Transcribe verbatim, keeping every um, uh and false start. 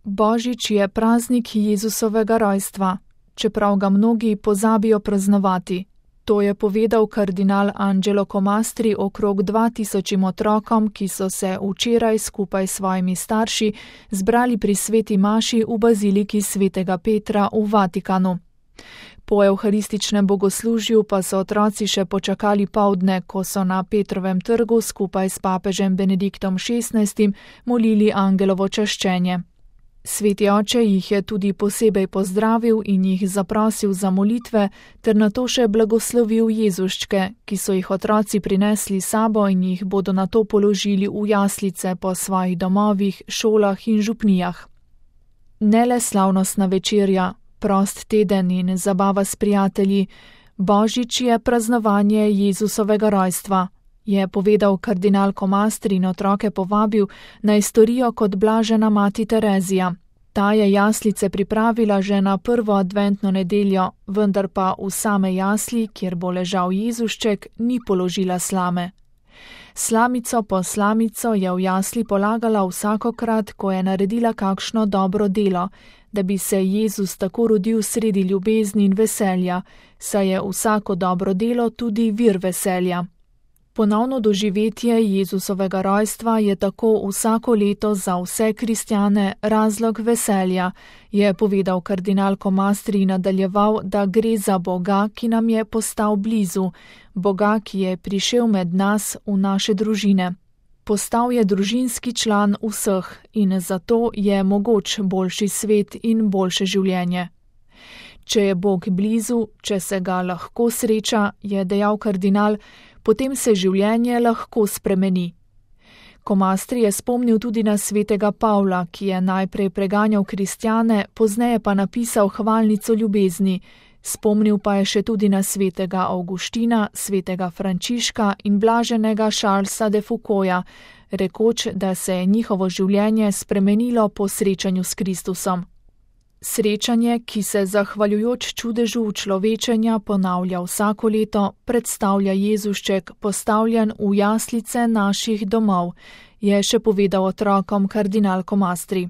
Božič je praznik Jezusovega rojstva, čeprav ga mnogi pozabijo praznovati. To je povedal kardinal Angelo Comastri okrog dva tisočim otrokom, ki so se včeraj skupaj s svojimi starši zbrali pri sveti maši v baziliki svetega Petra v Vatikanu. Po evharističnem bogoslužju pa so otroci še počakali poldne, ko so na Petrovem trgu skupaj s papežem Benediktom šestnajstim molili angelovo čaščenje. Sveti oče jih je tudi posebej pozdravil in jih zaprosil za molitve, ter nato še blagoslovil Jezuščke, ki so jih otroci prinesli sabo in jih bodo nato položili v jaslice po svojih domovih, šolah in župnijah. Ne le slavnostna večerja, prost teden in zabava s prijatelji, Božič je praznovanje Jezusovega rojstva, je povedal kardinal Comastri in otroke povabil, naj storijo kot blažena mati Terezija. Ta je jaslice pripravila že na prvo adventno nedeljo, vendar pa v same jasli, kjer bo ležal Jezušček, ni položila slame. Slamico po slamico je v jasli polagala vsakokrat, ko je naredila kakšno dobro delo, da bi se Jezus tako rodil sredi ljubezni in veselja, saj je vsako dobro delo tudi vir veselja. Ponovno doživetje Jezusovega rojstva je tako vsako leto za vse kristjane razlog veselja, je povedal kardinal Comastri in nadaljeval, da gre za Boga, ki nam je postal blizu, Boga, ki je prišel med nas v naše družine. Postal je družinski član vseh in zato je mogoč boljši svet in boljše življenje. Če je Bog blizu, če se ga lahko sreča, je dejal kardinal, potem se življenje lahko spremeni. Comastri je spomnil tudi na svetega Pavla, ki je najprej preganjal kristjane, pozneje pa napisal hvalnico ljubezni. Spomnil pa je še tudi na svetega Avguština, svetega Frančiška in blaženega Charlesa de Foucaulta, rekoč, da se je njihovo življenje spremenilo po srečanju s Kristusom. Srečanje, ki se zahvaljujoč čudežu učlovečenja ponavlja vsako leto, predstavlja Jezušček postavljen v jaslice naših domov, je še povedal otrokom kardinal Comastri.